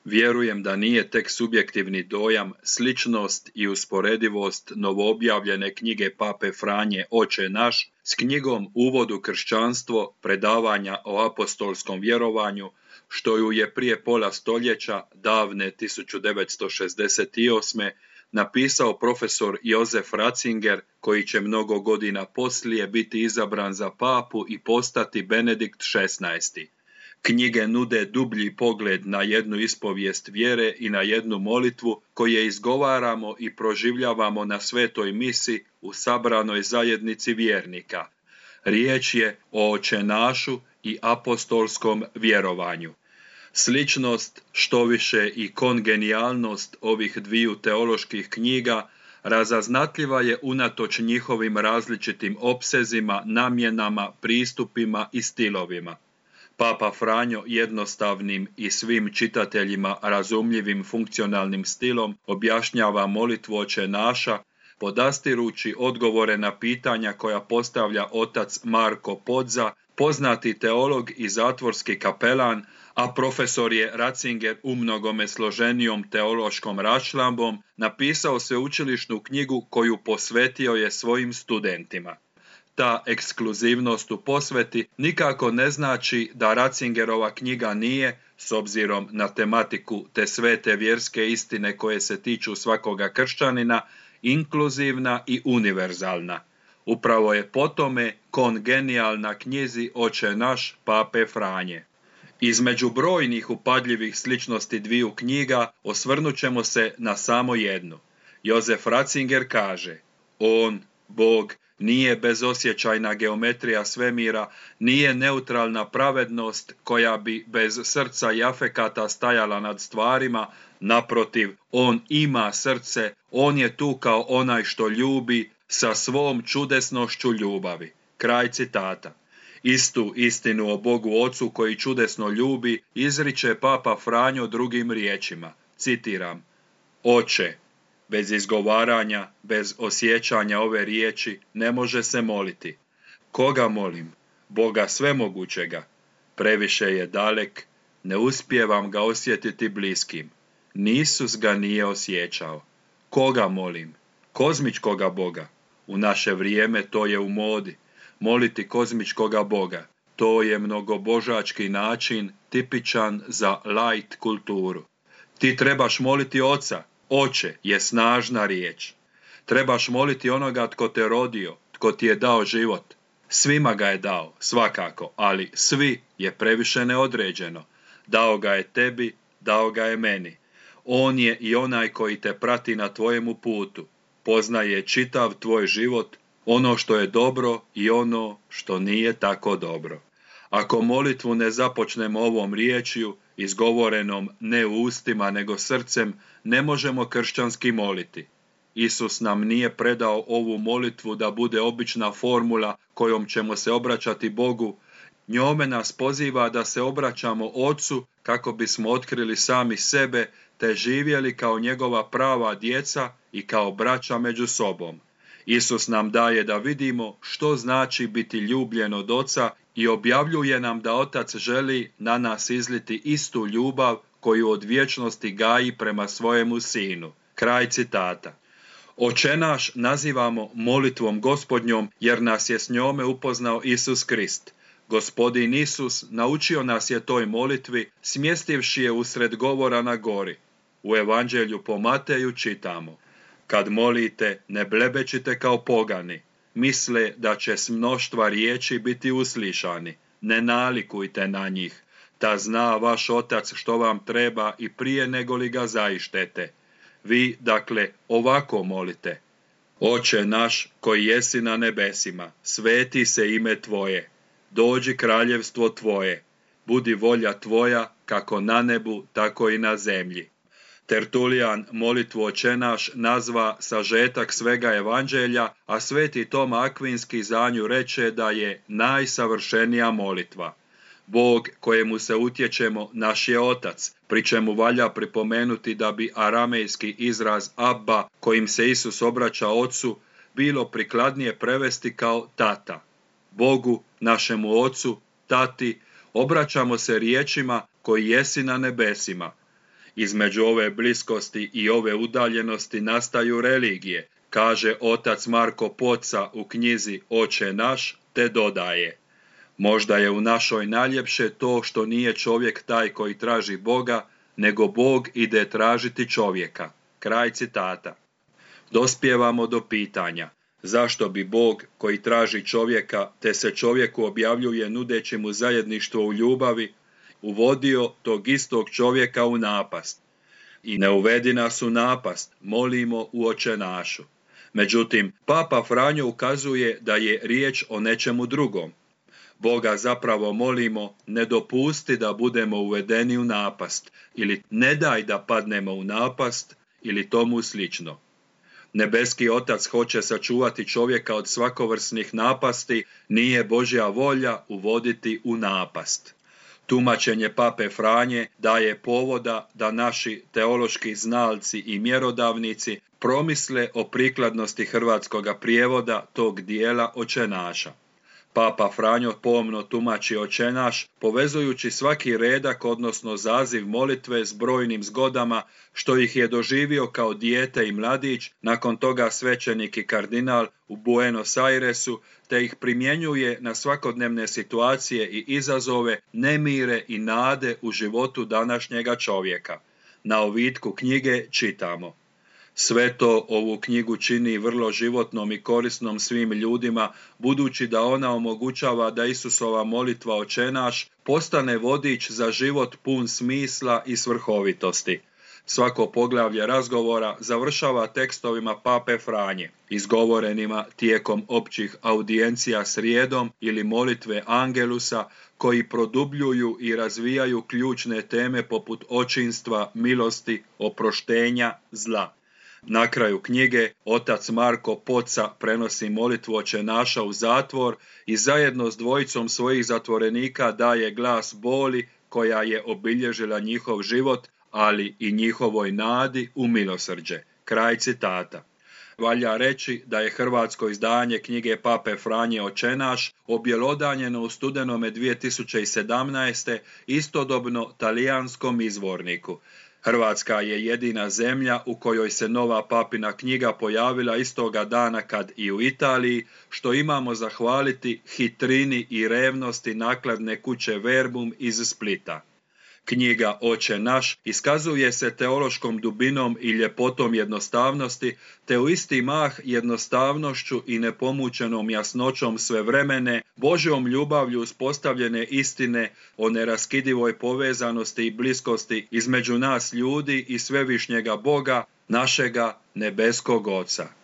Vjerujem da nije tek subjektivni dojam, sličnost i usporedivost novoobjavljene knjige Pape Franje Oče naš s knjigom Uvod u kršćanstvo, predavanja o apostolskom vjerovanju, što ju je prije pola stoljeća, davne 1968. napisao profesor Josef Ratzinger, koji će mnogo godina poslije biti izabran za papu i postati Benedikt XVI. Knjige nude dublji pogled na jednu ispovijest vjere i na jednu molitvu koje izgovaramo i proživljavamo na svetoj misi u sabranoj zajednici vjernika. Riječ je o očenašu i apostolskom vjerovanju. Sličnost, štoviše i kongenijalnost ovih dviju teoloških knjiga razaznatljiva je unatoč njihovim različitim opsezima, namjenama, pristupima i stilovima. Papa Franjo jednostavnim i svim čitateljima razumljivim funkcionalnim stilom objašnjava molitvu Oče naša, podastirući odgovore na pitanja koja postavlja otac Marko Podza, poznati teolog i zatvorski kapelan, a profesor je Ratzinger umnogome složenijom teološkom raščlambom napisao sveučilišnu knjigu koju posvetio je svojim studentima. Ta ekskluzivnost u posveti nikako ne znači da Ratzingerova knjiga nije, s obzirom na tematiku te svete vjerske istine koje se tiču svakoga kršćanina, inkluzivna i univerzalna. Upravo je po tome kongenijalna knjizi Oče naš Pape Franje. Između brojnih upadljivih sličnosti dviju knjiga osvrnut ćemo se na samo jednu. Josef Ratzinger kaže: on, Bog, nije bezosjećajna geometrija svemira, nije neutralna pravednost koja bi bez srca i afekata stajala nad stvarima, naprotiv, on ima srce, on je tu kao onaj što ljubi sa svom čudesnošću ljubavi. Kraj citata. Istu istinu o Bogu Ocu koji čudesno ljubi izriče Papa Franjo drugim riječima. Citiram: Oče. Bez izgovaranja, bez osjećanja ove riječi ne može se moliti. Koga molim? Boga svemogućega. Previše je dalek, ne uspijevam ga osjetiti bliskim. Ni Isus ga nije osjećao. Koga molim? Kozmičkoga Boga. U naše vrijeme to je u modi. Moliti kozmičkoga Boga. To je mnogobožački način tipičan za light kulturu. Ti trebaš moliti Oca. Oče je snažna riječ. Trebaš moliti onoga tko te rodio, tko ti je dao život. Svima ga je dao, svakako, ali svi je previše neodređeno. Dao ga je tebi, dao ga je meni. On je i onaj koji te prati na tvojemu putu. Poznaje čitav tvoj život, ono što je dobro i ono što nije tako dobro. Ako molitvu ne započnemo ovom riječju, izgovorenom ne ustima nego srcem, ne možemo kršćanski moliti. Isus nam nije predao ovu molitvu da bude obična formula kojom ćemo se obraćati Bogu. Njome nas poziva da se obraćamo Ocu kako bismo otkrili sami sebe te živjeli kao njegova prava djeca i kao braća među sobom. Isus nam daje da vidimo što znači biti ljubljen od Oca i objavljuje nam da Otac želi na nas izliti istu ljubav koju od vječnosti gaji prema svojemu Sinu. Kraj citata. Oče naš nazivamo molitvom Gospodnjom jer nas je s njome upoznao Isus Krist. Gospodin Isus naučio nas je toj molitvi smjestivši je usred govora na gori. U Evanđelju po Mateju čitamo: kad molite, ne blebečite kao pogani, misle da će s mnoštva riječi biti uslišani. Ne nalikujte na njih, ta zna vaš Otac što vam treba i prije nego li ga zaištete. Vi, dakle, ovako molite: Oče naš koji jesi na nebesima, sveti se ime Tvoje, dođi kraljevstvo Tvoje, budi volja Tvoja kako na nebu, tako i na zemlji. Tertulijan molitvu Oče naš nazva sažetak svega evanđelja, a sveti Toma Akvinski za nju reče da je najsavršenija molitva. Bog kojemu se utječemo naš je Otac, pri čemu valja pripomenuti da bi aramejski izraz Abba, kojim se Isus obraća Ocu, bilo prikladnije prevesti kao tata. Bogu, našemu Ocu, tati, obraćamo se riječima koji jesi na nebesima. Između ove bliskosti i ove udaljenosti nastaju religije, kaže otac Marko Poca u knjizi Oče naš, te dodaje: možda je u našoj najljepše to što nije čovjek taj koji traži Boga, nego Bog ide tražiti čovjeka. Kraj citata. Dospijevamo do pitanja: zašto bi Bog koji traži čovjeka te se čovjeku objavljuje nudeći mu zajedništvo u ljubavi, uvodio tog istog čovjeka u napast? I ne uvedi nas u napast, molimo u Oče našu. Međutim, Papa Franjo ukazuje da je riječ o nečemu drugom. Boga zapravo molimo: ne dopusti da budemo uvedeni u napast, ili ne daj da padnemo u napast, ili tomu slično. Nebeski Otac hoće sačuvati čovjeka od svakovrsnih napasti, nije Božja volja uvoditi u napast. Tumačenje Pape Franje daje povoda da naši teološki znalci i mjerodavnici promisle o prikladnosti hrvatskoga prijevoda tog dijela Oče naša. Papa Franjo pomno tumači Oče naš, povezujući svaki redak, odnosno zaziv molitve, s brojnim zgodama što ih je doživio kao dijete i mladić, nakon toga svećenik i kardinal u Buenos Airesu, te ih primjenjuje na svakodnevne situacije i izazove, nemire i nade u životu današnjega čovjeka. Na ovitku knjige čitamo: sve to ovu knjigu čini vrlo životnom i korisnom svim ljudima, budući da ona omogućava da Isusova molitva Oče naš postane vodič za život pun smisla i svrhovitosti. Svako poglavlje razgovora završava tekstovima Pape Franje, izgovorenima tijekom općih audijencija srijedom ili molitve Angelusa, koji produbljuju i razvijaju ključne teme poput očinstva, milosti, oproštenja, zla. Na kraju knjige otac Marko Poca prenosi molitvu Oče naša u zatvor i zajedno s dvojicom svojih zatvorenika daje glas boli koja je obilježila njihov život, ali i njihovoj nadi u milosrđe. Kraj citata. Valja reći da je hrvatsko izdanje knjige Pape Franje Oče naš objelodanjeno u studenome 2017. istodobno talijanskom izvorniku. Hrvatska je jedina zemlja u kojoj se nova papina knjiga pojavila istoga dana kad i u Italiji, što imamo zahvaliti hitrini i revnosti nakladne kuće Verbum iz Splita. Knjiga Oče naš iskazuje se teološkom dubinom i ljepotom jednostavnosti, te u isti mah jednostavnošću i nepomučenom jasnoćom svevremene, Božjom ljubavlju uspostavljene istine o neraskidivoj povezanosti i bliskosti između nas ljudi i svevišnjega Boga, našega nebeskog Oca.